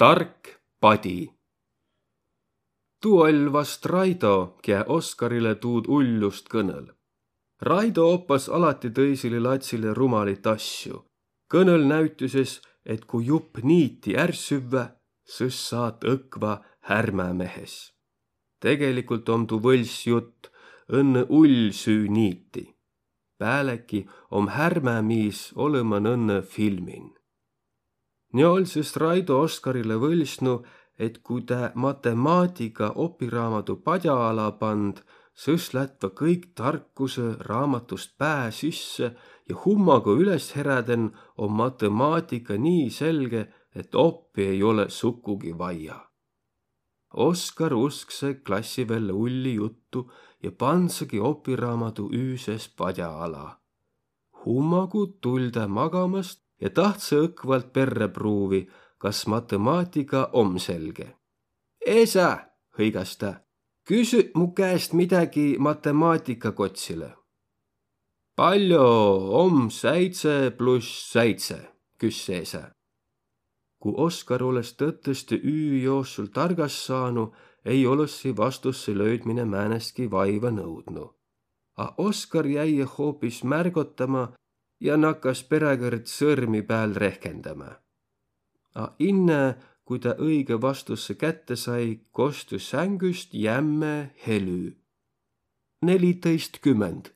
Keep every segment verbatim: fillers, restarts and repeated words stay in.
Tark padi. Tuu oll' vast Raido, kiä Oskarile tuud ullust kõnõl'. Raido oppas alati tõisile latsile rumalit asju. Kõnõl' näütüses, et ku jup niiti är süvvä, sõs saat õkva härmämehes. Tegelikult om tuu võlss jutt, õnnõ ull süü niiti. Pääleki om härmämiis olõman õnnõ filmin. Nii oll' sõs Raido Oskarile võlsnu, et ku tä matemaatiga opiraamadu padja ala pand, sõs lätva kõik tarkusõ raamatust pää sisse ja hummagu üles heräden om matemaatiga nii selge, et oppi ei olõ sukugi vaia. Oskar usksõ klassi velle ulli juttu ja pandsegi opiraamadu üüses padja ala. Hummagu tull' tä magamast ja tahtsõ õkvalt perrä pruuvi, kas matemaatiga om selge. Esä, hõigas' tä, küsü mu käest midägi matemaatiga kotsilõ. Pall'o om säidse pluss säidse? Küsse esä. Ku Oskar olõs tõtõstõ üü joosul targas saanu, ei olõssi vastussõ löüdmine määnestki vaiva nõudnu. A Oskar jäi hoopis märgotama ja nakkas peräkõrd sõrmi pääl rehkendämä. A inne, kui tä õigõ vastussõ kätte sai, kostü sängüst jämme helü. Nelitõistkümmend.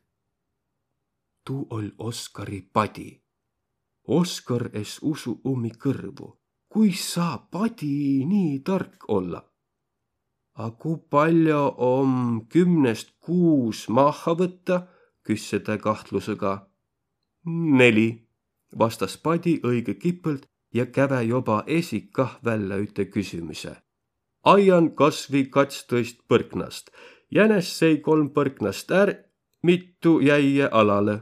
Tuu oll' Oskari padi. Oskar es usu ummi kõrvu. Kuis saa padi nii tark olla? A ku pall'o om kümnest kuus mahha võtta? Küsse tä kahtlusõga. Neli, vastas padi õigõ kipõlt ja käve joba esi kah vällä üte küsümüse. Aian kasvi katstõist põrknast. Jänes sei kolm põrknast är, mitu jäie alalõ?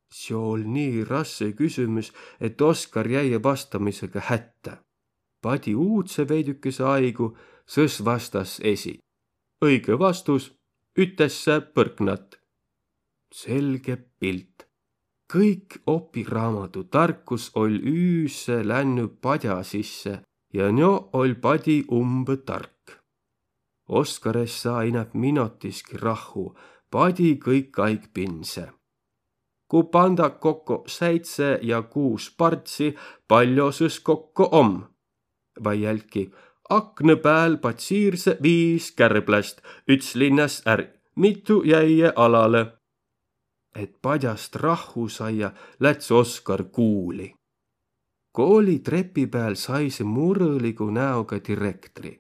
Seo oll' nii rasse küsümüs, et Oskar jäi vastamisega hättä. Padi uudsõ veidükese aigu, sõs vastas esi. Õigõ vastus: ütesse põrknat. Selge pilt. Kõik opiraamadu tarkus oll' üüse lännü padja sisse ja njo oll' padi umbõ tark. Oskar es saa inäp minotiski rahhu, padi kõik aig pinse. Ku panda kokko säidse ja kuus pardsi, pall'o sõs kokko om? Vai jälki: aknõ pääl patsiirsõ viis kärbläst, üts linnas är, mitu jäie alalõ? Et padjast rahhu saia, läts Oskar kuuli. Kooli trepi pääl saisõ murõligu näoga direktri.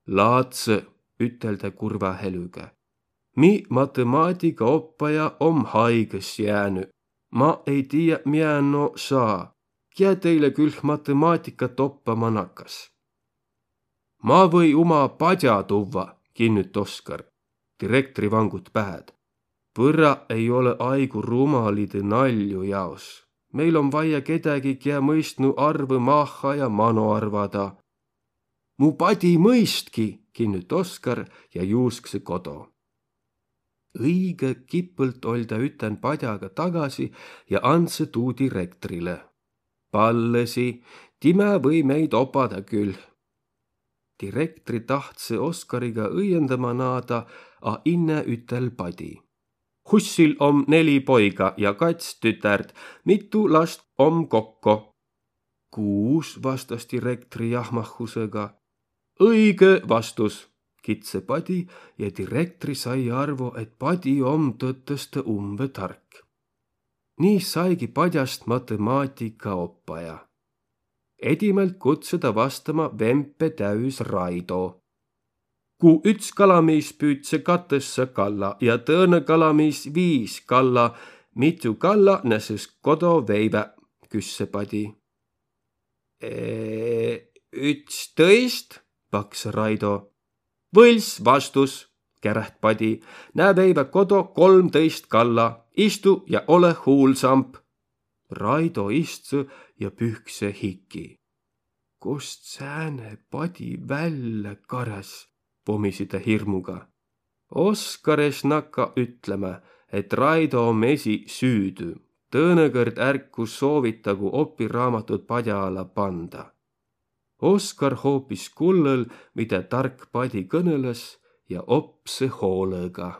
Laatsõ, ütel tä kurva helüga. Mi matõmaadigaoppaja om haigõs jäänü. Ma ei tiiä, miä no saa. Kiä teile külh matõmaadigat oppama nakas? Ma või uma padja tuvva, kinnüt Oskar. Direktri vangut pääd. Põrra ei olõ aigu rumalidõ nalju jaos. Meil om vaia kedägi, kiä mõistnu arvõ mahha ja mano arvada. Mu padi mõistki, kinnüt Oskar ja juusksõ kodo. Õigõ kipõlt oll' tä ütän padjaga tagasi ja andsõ tuu direktrilõ. Pallõsi, timä või meid opada külh. Direktri tahtsõ Oskariga õiendama naada, a inne ütel padi: Hussil om neli poiga ja kats tütärd, mitu last om kokko? Kuus, vastas direktri jahmahusõga. Õigõ vastus, kitsõ padi ja direktri sai arvo, et padi om tõtõstõ umbõ tark. Nii saigi padjast matõmaadigaoppaja. Edimält kutsõ ta vastama vempe täüs Raido. Ku üts kalamiis püüdse katõssa kalla ja tõõnõ kalamiis viis kalla, mitu kalla nä sõs kodo veivä? Küsse padi. E, ütstõist, paksõ Raido. Võlss vastus, käräht padi. Nä veivä kodo kolmtõist kalla. Istu ja olõ huulsamp. Raido istsõ ja pühkse hiki. Kost sääne padi vällä karas? Pomisi tä hirmuga. Oskar es nakka ütlemä, et Raido om esi süüdü. Tõõnõ kõrd ärku soovitagu opiraamatut padja ala panda. Oskar hoopis kullõl, midä tark padi kõnõlõs, ja opsõ hoolõga.